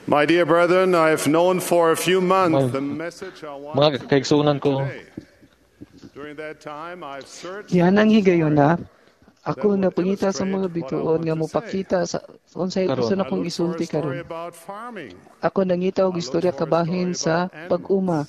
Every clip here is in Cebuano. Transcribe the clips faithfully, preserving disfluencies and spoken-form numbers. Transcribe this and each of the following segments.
My dear brethren, I have known for a few months the message I want Mga to kaigsuonan ko, today. During that time, I've searched Diyan ang higayuna, ako napangita sa mga bituon nga mopakita sa unsay Karon. gusto I na kong looked for a isulti story karon. about farming. Ako nangita og istorya kabahin sa pag-uma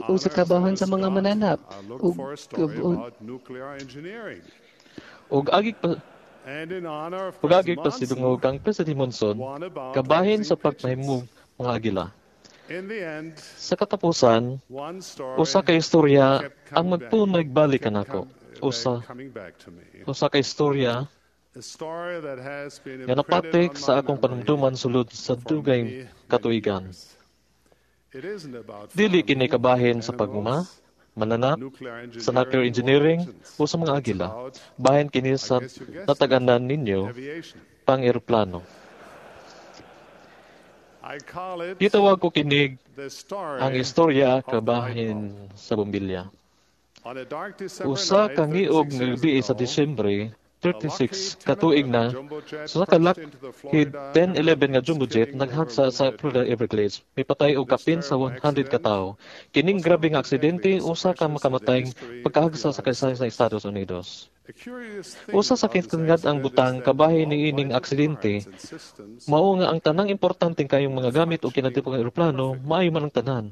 o sa kabahin sa mga mananap I looked ug for a story ug- about nuclear engineering. ug agi pa And in honor of ug agi President pa Monson, sidungog kang President Monson one about kabahin sa raising pigeons. pagmahimong mga agila. In the end, Sa katapusan, one story usa ka istorya kept ang coming back, magpunagbalik kept kanako. com- Usa back- coming back to me. usa ka istorya A story that has been nga imprinted napatik on sa my akong memory panumduman sulod sa for dugay many, many katuigan. years. It isn't about Dili farming, kini kabahin sa pagmuma, animals, mananap, nuclear sa nuclear engineering, engineering or pigeons. o sa mga It's agila. about, Bahin kini I sa guess you guessed it, natag-anan ninyo aviation. pang eroplano. I call it Gitawag ko kinig the story ang istorya of the light bulb. kabahin sa bombilya. On a dark December Usa night ka ngiog thirty-six nga years gabi sa ago, Disyembre a Lockheed thirty-six katuig ten eleven na jumbo jet sa ka crashed Lockheed into the Florida ten eleven nga Everglades, jumbo jet killing over naghagsa sa one hundred Florida people. Everglades, mipatay og This kapin sa terrible one hundred ka accident tawo. Kining was grabe one of nga the aksidente deadliest usa ka crashes in the makamatayng history of the pagkahagsa sa United kasaysayan sa States. Estados Unidos. A curious thing Usa sa about this kinatangad ang accident is butang that kabahin all niining vital aksidente parts and systems mao nga ang tanang importante kayong mga gamit o functioning kinatibuk nga eroplano perfectly. maayo man ang tanan.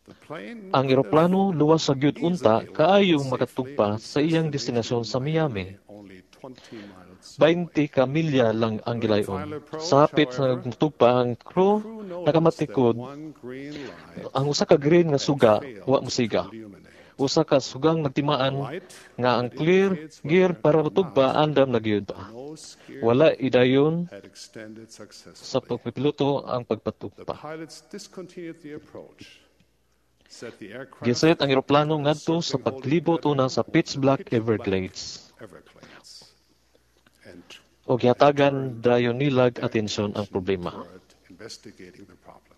The plane Ang could have eroplano luwas sa gyud unta easily landed kaayong safely makatugpa at its sa iyang destination destinasyon in sa Miami. Miami, only twenty miles twenty away. ka milya lang ang During the gilayon. final approach, Sa hapit sa however, nagtugpa ang the crew crew noticed that nakamatikod one green light ang usa ka green nga had suga wa failed to mosiga. illuminate. Usa ka sugang A nagtimaan light nga ang that clear indicates gear whether para or motugpa not andam na gyud the pa. nose gear Wala idayon had extended sa successfully. pagpipiloto ang The pagpatugpa. pilots discontinued the approach, set the aircraft Giset ang eroplano into a ngadto sa circling holding paglibot una pattern sa over the pitch black pitch black Everglades. Everglades and, Og and gihatagan turned dayon nilag their atensyon ang attention problema. toward investigating the problem.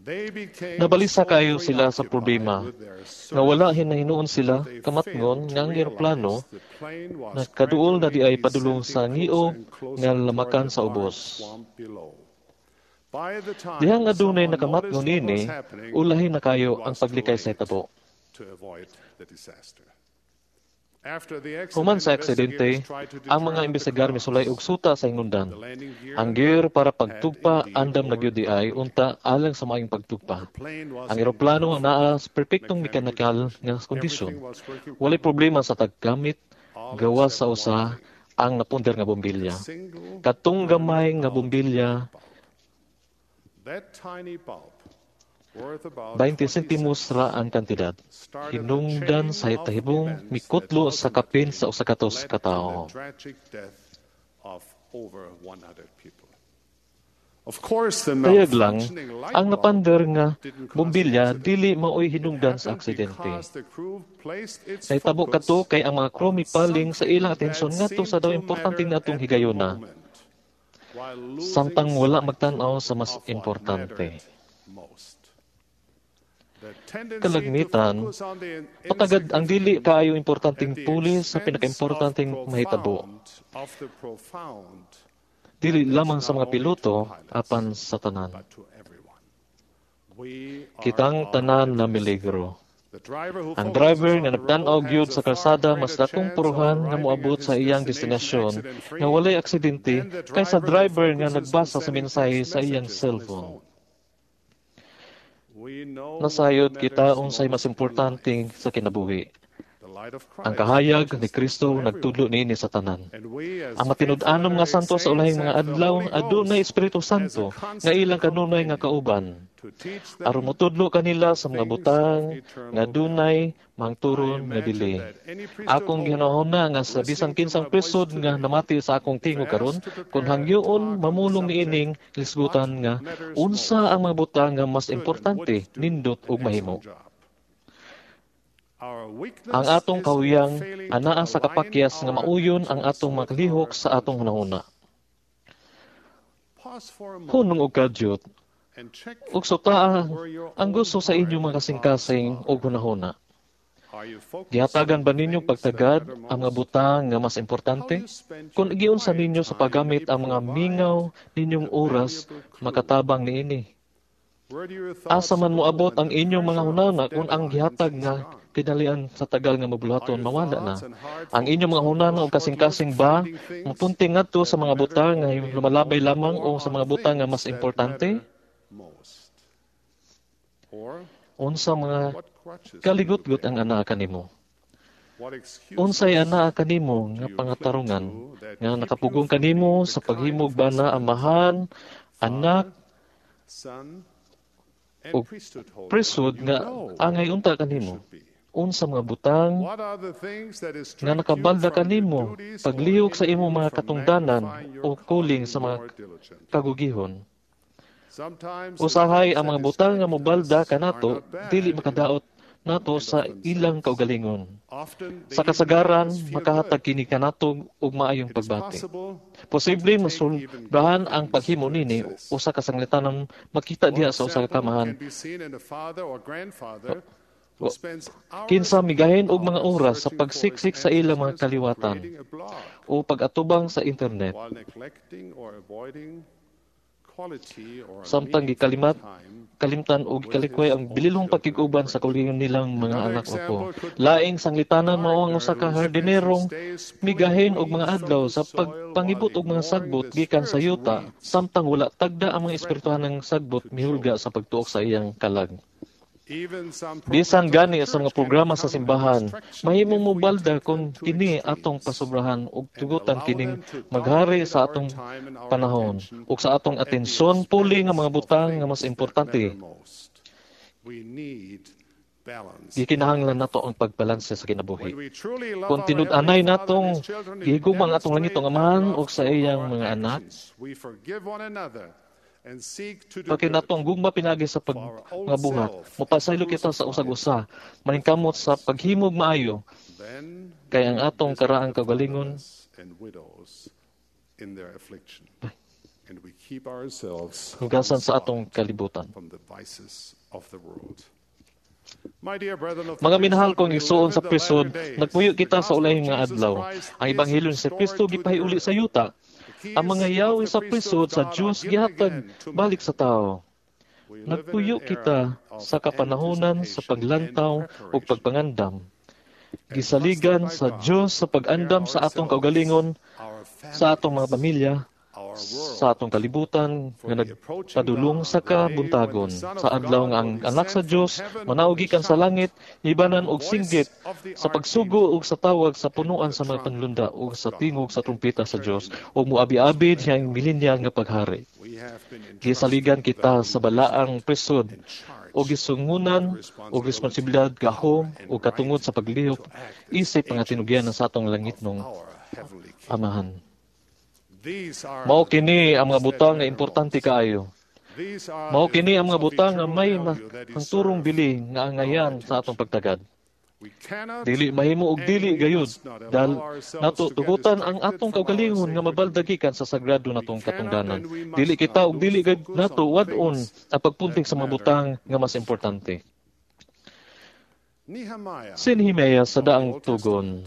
They became Nabalisa so kayo sila sa preoccupied problema with their nga wala search hinahinuon sila that they kamatngon failed nga to ang eroplano realize the plane was nakaduol na di gradually ay padulong sa descending closer ngiog and nga closer toward lamakan the sa dark ubos. swamp below. By the Dihang time adunay someone noticed nakamatngon what niini, was happening, ulahi na it kayo ang was too paglikay sa late hitabo. to avoid the disaster. After the Human accident, sa aksidente, investigators tried to ang mga determine the imbestigar misulay og cause. suta sa hinungdan. The landing gear Ang gear para had pagtugpa indeed andam na gyud di worked ay perfectly. unta alang sa maayong The pagtugpa. plane was Ang in eroplano perfect naa sa perpektong mechanical mekanikal condition. nga kondisyon. Everything was working Walay perfectly, problema sa taggamit all gawas sa except one usa thing. ang napunder nga A bombilya. single Katong burned gamay nga out bombilya bulb. That tiny bulb, worth about twenty twenty sentimos cents, ra ang kantidad. started the Hinungdan chain sa of hitahibong events that mikutlo sa kapin ultimately sa usa ka tos led ka to the tawo. tragic death of over one hundred people. Of course, the Tayag lang, malfunctioning light ang bulb napander nga didn't cause the bombilya accident. dili maoy It hinungdan sa happened aksidente. because the crew placed its Nahitabo kadto focus kay ang mga crew on mipaling sa something ilang that atensyon ngadto sa seemed daw to importante matter natong at the higayona, moment, while losing samtang wala sight magtan-aw sa mas of what importante. mattered most. The tendency to Kalagmitan, focus on the patagad ang dili insignificant kaayo at importanteng the puli sa expense of pinakaimportanteng mahitabo. profound, of the profound, Dili and that's lamang sa not mga only to piloto pilots, apan sa tanan. but to everyone. We are Kitang our tanan na enemies. miligro. The driver who Ang focuses driver on nga the road nagtan-aw gyud has a sa far kalsada mas greater dakong chance of puruhan nga arriving at moabot sa his iyang destination destinasyon accident-free nga walay aksidente than the kaysa driver who driver nga focuses on nagbasa sa sending mensahe text sa iyang messages on his cellphone. phone. We know what Nasayod kita matters unsay mas most in importante life. sa kinabuhi. The light of Ang Christ kahayag teaches ni this Kristo to everyone. nagtudlo niini sa tanan. And we, as Ang faithful matinud-anom nga Latter-day santo sa Saints, ulahing mga have the adlaw Holy adunay Ghost Espiritu as a Santo nga constant ilang kanunay nga companion kauban to teach aron them motudlo kanila sa mga things of butang nga eternal value. dunay I mangturon nga imagine bili. that any priesthood Akong holder ginahuna nga sa bisan listening to kinsang my voice prisod nga today, namati sa akong if tingog karon, asked to kun prepare a hangyoon talk on the mamulong subject, niining what lisgutan nga matters unsa most, ang mga butang nga mas could and importante, would do nindot an ug mahimo. excellent job. Our Ang weakness atong is in kahuyang failing to anaa sa align kapakyas nga our mauyon ang actions atong with makalihok our sa atong conscience. hunahuna. Pause for a Hunong moment og kadyot and check ug sutaa where your ang own gusto sa heart inyong mga and thoughts kasing-kasing are. ug hunahuna. Are Gihatagan ba ninyo pagtagad ang mga butang nga mas importante? Kung giunsa ninyo sa paggamit ang mga mingaw ninyong oras, makatabang niini. Asa man moabot ang inyong mga hunahuna kung ang gihatag nga kinalian sa tagal nga mabuluhaton mawala na. Ang inyong mga hunahuna og kasing-kasing ba mopunting ngadto sa mga butang nga lumalabay lamang o sa mga butang nga mas importante? Unsa mga kaligutgot ang anaa kanimo? Unsay anaa kanimo nga pangatarungan nga nakapugong kanimo sa paghimog bana, amahan, anak, ug priesthood nga angay unta kanimo? Unsa mga butang nga nakabalda kanimo paglihok sa imong mga katungdanan o kuling sa mga kagugihon? Usahay ang mga butang nga mobalda kanato dili makadaot nato sa ilang kaugalingon. Sa kasagaran, makahatag kini kanato og maayong pagbati. Posible masulbahan ang paghimo nini usa ka sanglitanan makita diha sa usa ka kamahan. Kinsa migahin og mga oras sa pagsiksik sa ilang mga kaliwatan o pag-atubang sa internet. Samtang gikalimat, kalimtan o gikalikway ang bililhong pagkig-uban sa kaugalingon nilang mga anak o apo. Laing sanglitanan mao ang usa ka hardinerong migahin og mga adlaw sa pagpangibot og mga sagbot gikan sa yuta, samtang wala tagda ang mga espirituhanang sagbot mihulga sa pagtuok sa iyang kalag. Bisan gani sa mga programa sa simbahan, mahimong mobalda kung kini atong pasobrahan ug tugutan kining maghari sa atong panahon ug sa atong atensyon puli nga mga butang nga mas importante. Gikinahanglan nato ang pagbalanse sa kinabuhi. Kung tinud-anay natong gihigugma ang atong langitong Amahan ug sa iyang mga anak, pagka nato ang gugma pinaagi sa pagmabuhat, mopasaylo kita sa usag-usa, maningkamot sa paghimog maayo, kay ang atong karaang kaugalingon hugasan sa atong kalibutan. Mga minahal kong igsuon sa prisod, nagpuyo kita sa ulahing nga adlaw. Ang ebanghelyo ni Kristo gipahiuli sa yuta. Ang mga yawi sa prisod sa Diyos gihatag balik sa tao. Nagpuyo kita sa kapanahonan sa paglantaw o pagpangandam. Gisaligan sa Diyos sa pag-andam sa atong kaugalingon, sa atong mga pamilya, sa atong kalibutan nga nagpadulong sa kabuntagon. Sa adlaw nga ang anak sa Dios manaog gikan sa langit, hibanan og singgit sa pagsugo ug sa tawag sa punuan sa mga panlunda ug sa tingog sa trumpeta sa Dios, ug moabi-abi siyang milenyal nga paghari. Gisaligan kita sa balaang prisod o gisungunan o responsibilidad gahom o katungod sa paglihok isip mga tinugyan sa atong langitnong Amahan. Mao kini ang mga butang nga importante kaayo. Mao kini ang mga butang nga may hangturong bili nga angayan sa atong pagtagad. Dili mahimo og dili gayud dahil nato tugutan ang atong kaugalingon nga mabaldagikan sa sagrado natong katungdanan. Dili kita og dili gayud nato wad-on ang pagpunting sa mga butang nga mas importante. Si Nehemiah sa daang tugon,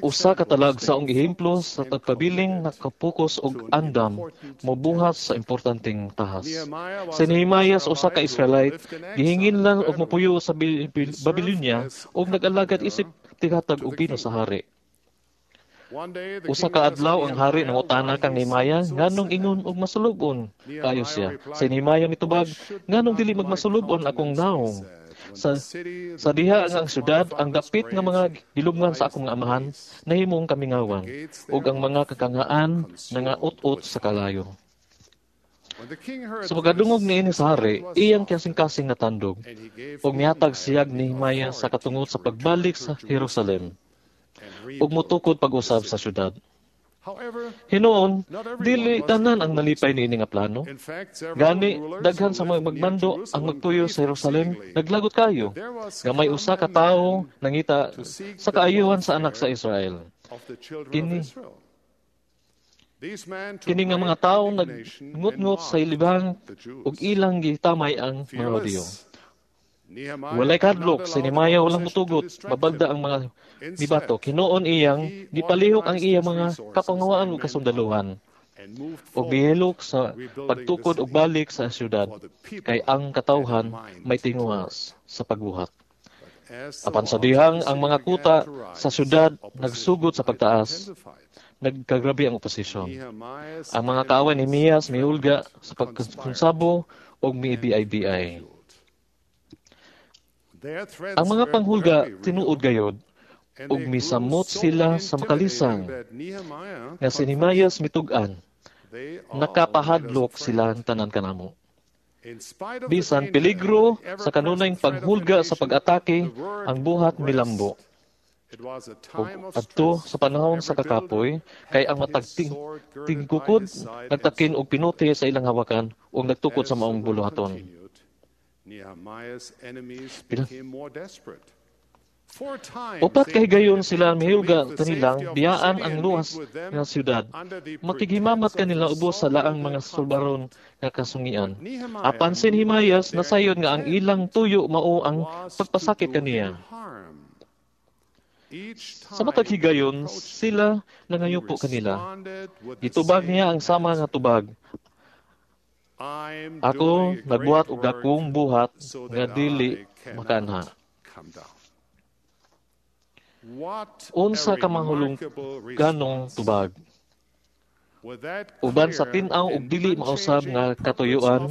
usa ka talagsaong ehemplo sa tagpabiling nakapokus og andam mobuhat sa importanteng tahas. Si Nehemiah usa ka Israelite gihingin lang og mopuyo sa Babylonia ug nag-alagad isip tighatag og bino sa hari. Usa ka adlaw ang hari nangutana kang Nehemiah nganong ingon og masulub-on kaayo siya. Si Nehemiah mitubag, nganong dili magmasulub-on akong naong? Sa, sa diha nga ang syudad, ang dapit nga mga gilumngan sa akong amahan, nahimong kamingawan, ug ang mga kakangaan nangaut-ut sa kalayo. Sa pagkadungog niini sa hari, iyang kasing-kasing natandog, ug mihatag siyag ni Nehemiah sa katungod sa pagbalik sa Jerusalem, ug motukod pag-usab sa syudad. Hinuon, dili tanan ang nalipay niini nga plano. Gani, daghan sa mga magmando ang magpuyo sa Jerusalem, naglagot kayo, nga may usa ka tawo nangita sa kaayuhan sa anak sa Israel. Kini, kini nga mga tawo nagngut-ngut sa ilibang ug ilang gitamay ang mga Hudiyo. Walay kadlok, si Nehemiah walang mutugot, mabalda ang mga mibato. Hinuon iyang gipalihok ang iyang mga kapangawaan ug kasundaluhan ug mihilok sa pagtukod og balik sa syudad kay ang katawhan may tinguha sa pagbuhat. Apan sa dihang ang mga kuta sa syudad nagsugod sa pagtaas, nagkagrabe ang oposisyon. Ang mga kaaway ni Nehemias mihulga sa pagkonsabo ug miibi-bi. Ang mga panghulga tinuod gayod ug misamot sila sa makalisang nga si Nehemias mitug-an, nakapahadlok sila tanan kanamo. Bisan peligro sa kanunayng paghulga sa pag-atake, ang buhat milambo. Ug adto sa panahon sa kakapoy, kay ang matag ting tingkukod nagtakin og pinuti sa ilang hawakan ug nagtukod sa maong buluhaton. Pila? Upat kahigayon sila mihulga kanilang biyaan ang luwas nga syudad. Makighimamat kanila ubos sa laang mga sulbaron nga kasungian. Apan si Nehemias nasayon nga ang ilang tuyo mao ang pagpasakit kaniya. Sa matag higayon sila nangayupo kanila. Gitubag niya ang sama nga tubag. Ako nagbuhat og dakong buhat nga dili makaanha. Unsa ka mahulungganong tubag. Uban sa tin-aw ug dili mausab nga katuyuan,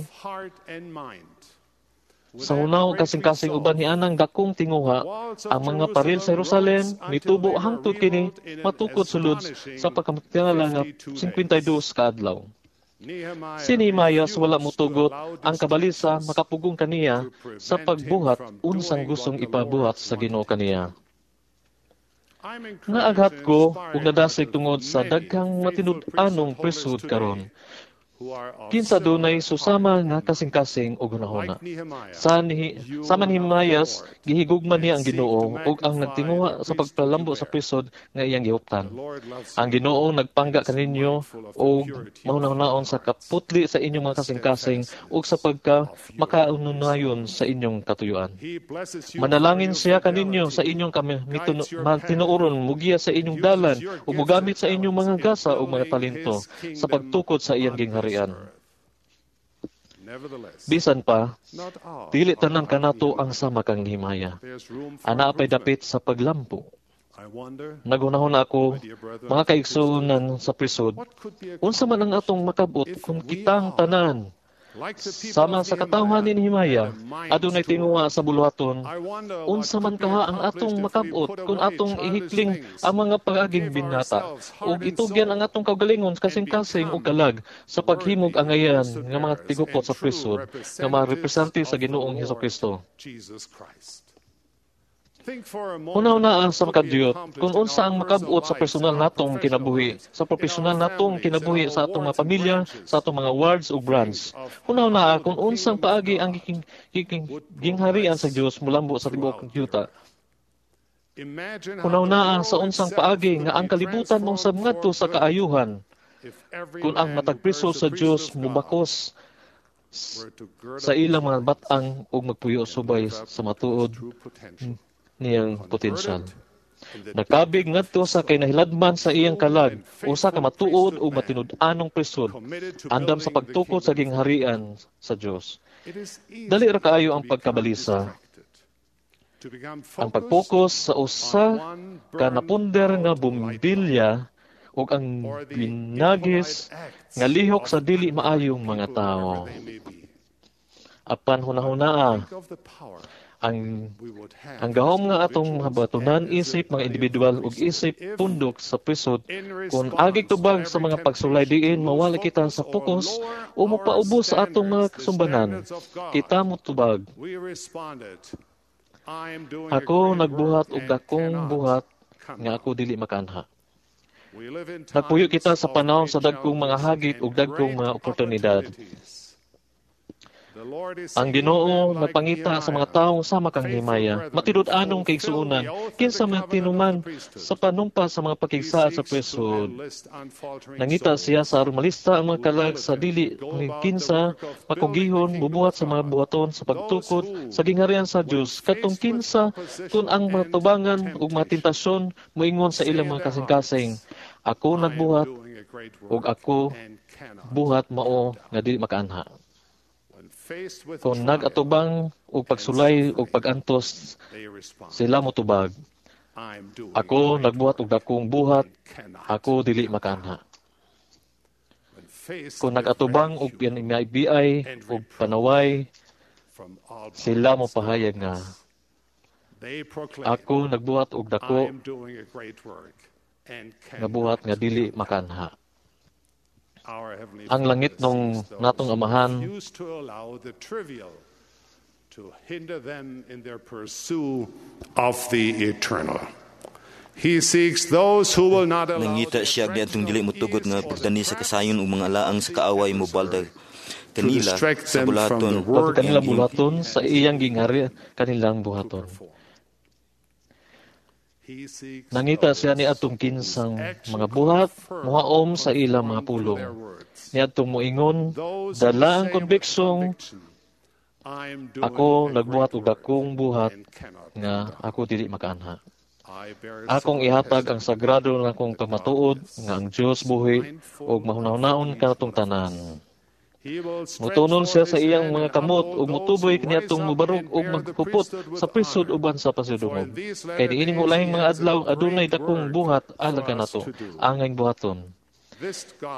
sa hunaw kasing-kasing uban nianang dakong tinguha, ang mga paril sa Jerusalem mitubo hangtod kini matukod sulod sa pagkatingala nga singkwentaydos ka adlaw. Si Nehemias wala motugot ang kabalisa makapugong kaniya sa pagbuhat unsang gustong ipabuhat sa Ginoo kaniya. Naaghat ko ug nadasig tungod sa daghang matinud-anong priesthood karon. Kinsa dunay susama nga kasing-kasing og hunahuna. Sa ni sama ni Nehemias, gihigugma niya ang Ginoo ug ang nagtinguha sa pagpalambo sa priesthood nga iyang gihuptan. Ang Ginoo nagpangga kaninyo og mahunahunahon sa kaputli sa inyong mga kasing-kasing ug sa pagka makaununayon sa inyong katuyuan. Manalangin siya kaninyo sa inyong kami tinuoron, mugiya sa inyong dalan ug mogamit sa inyong mga gasa ug mga talento sa pagtukod sa iyang gingharian. Bisan pa, dili tanan kanato ang sama kang Nehemiah. Ana pay dapit sa paglampo. Naghunahuna ako, mga kaigsuonan sa priesthood, unsa man ang atong makabot kung kitang tanan sama sa katawhan ni Nehemiah, adunay tinguha sa buluhaton, unsa man kaha ang atong makabot kung atong ihikling ang mga pag-aging binata, ug itugyan ang atong kaugalingon kasing-kasing ug kalag sa paghimog angayan nga mga tigupot sa priesthood nga mga representante sa Ginoong Hesukristo. Hunahunaa sa makadiyot kung unsa ang makabot sa personal natong kinabuhi, sa profesional natong kinabuhi sa atong mga pamilya, sa atong mga wards ug branch. Hunahunaa kung unsang paagi ang giking, giking, gingharian sa Dios mulambo sa tibuok yuta. Hunahunaa sa unsang paagi nga ang kalibutan mausab ngadto sa kaayuhan kung ang matag priso sa Dios mubakos sa ilang mga bat-ang ug magpuyo subay sa matuod niyang potensyal. Nakabig ngadto sa kinahiladman sa iyang kalag, usa ka matuod ug matinud-anong priesthood, andam sa pagtukod sa gingharian sa Dios. Dali ra kaayo ang pagkabalisa. Ang pag-focus sa usa ka napunder nga bumbilya ug ang binagis nga lihok sa dili maayong mga tawo. Apan hunahunaa ang ang gahom nga atong mabatunan isip mga individual ug isip pundok sa priesthood kung agig tubag sa mga pagsulay diin mawala kita sa focus o mopaubos sa atong mga kasumbanan, kita motubag, "Ako nagbuhat og dakong buhat nga ako dili makaanha." Nagpuyo kita sa panahon sa dagkong mga hagit ug dagkong mga oportunidad. Ang Ginoo nagpangita sa mga tawo sama kang Nehemiah, matinud-anong kaigsuonan, kinsa man tinuman sa panumpa sa mga pakigsaad sa priesthood. Nangita siya sa aron malista ang mga kalag sa dili kinsa makugihon mubuhat sa mga buhaton sa pagtukod sa gingharian sa Dios, katong kinsa kun ang matubangan ug mga tentasyon moingon sa ilang mga kasing-kasing, "Ako nagbuhat ug ako buhat mao nga dili makaanha." Kung nag-atubang og pagsulay og pag-antos, sila motubag, "Ako nagbuhat og dakong buhat, ako dili makaanha." Kung nag-atubang og pinamibiay og panaway, sila mopahayag nga, "Ako nagbuhat og dako nga buhat nga dili makaanha." Ang langit nung natong Amahan to hinder them in their pursuit of the eternal. He seeks those who will not allow Nangita siya niadtong dili motugot nga pagdani sa kasayon ug mga alaang sa kaaway mobaldag kanila sa bulaton kanila bulaton sa iyang ginghari kanilang buhaton. Nangita siya ni atong kinsang mga buhat muhaom sa ilang mga pulong. Niadtong moingon, dala ang konbiksong, "Ako nagbuhat og dakong buhat nga ako dili makaanha. Akong ihatag ang sagrado nakong pamatuod nga ang Dios buhi ug mahunahunahon kanatong tanan." Mutunol siya sa iyang mga kamot ug mutuboy kaniadtong mubarog ug maghupot sa priesthood uban sa pasidungog. Kay niining ulahing mga adlaw adunay dakong buhat alang kanato angayng buhaton.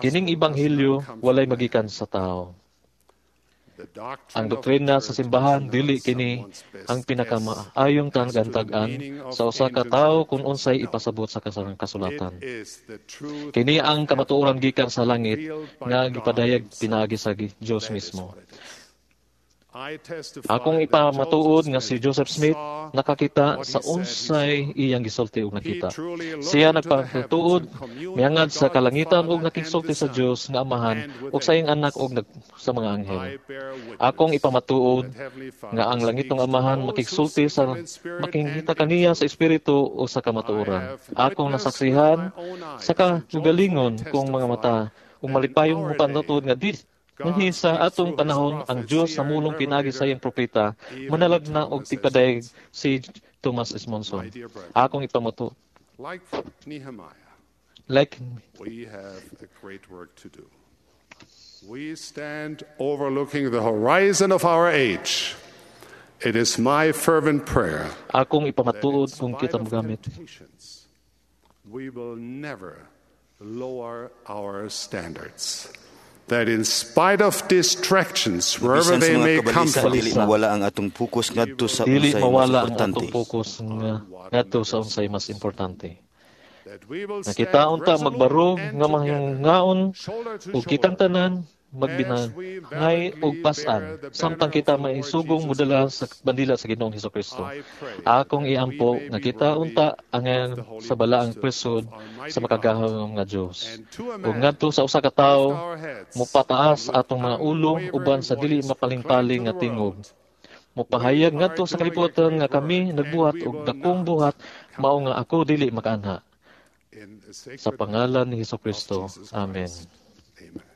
Kining ebanghelyo walay magikan sa tawo. Ang doktrina sa simbahan, dili kini ang pinakamaayong tag-an sa usa ka tawo kung unsay ipasabot sa kasulatan. Kini ang kamatuoran gikan sa langit nga gipadayag pinaagi sa Dios mismo. Akong ipamatuod nga si Joseph Smith nakakita sa unsay iyang gisulti og nakita. Siya nagpatuod miangad sa kalangitan og nakigsulti sa Dios nga Amahan ug sa iyang anak ug sa mga anghel. Akong ipamatuod nga ang langitong Amahan makigsulti sa makingita kaniya sa espiritu o sa kamatuoran. Akong nasaksihan sa kaugalingon kong mga mata ug malipayong mopamatuod nga di Nganhi sa atong panahon ang Dios namulong pinaagi sa iyang propeta manalag na og tigpadayag si Thomas S. Monson. Akong ipamatuod. Like Nehemiah, like we have a great work to do. We stand overlooking the horizon of our age. It is my fervent prayer Akong ipamatuod kung kita mogamit. We will never lower our standards. That in spite of distractions, wherever Bisan sa they mga may come kabalisa, from, dili mawala ang atong focus ngadto sa Dili unsay mas mawala ang importante. atong focus nga ngadto sa unsay mas importante. That we will Nga kita stand unta resolute magbarog and nga together, mahingaon shoulder to ug kitang shoulder, tanan magbinangay og pas-an samtang kita maisugong modala sa bandila sa Ginoong Hesukristo. Akong iampo nga kita unta ang sa balaang priesthood sa makagagahom nga Dios. Ug ngadto sa usa ka tawo, mopataas atong mga ulo uban sa dili mapalingpaling nga tingog. Mopahayag ngadto sa kalibutan nga kami nagbuhat og dakong buhat mao nga ako dili makaanha. In the Sa sacred pangalan ni of Hesukristo. Jesus Amen. Christ. Amen.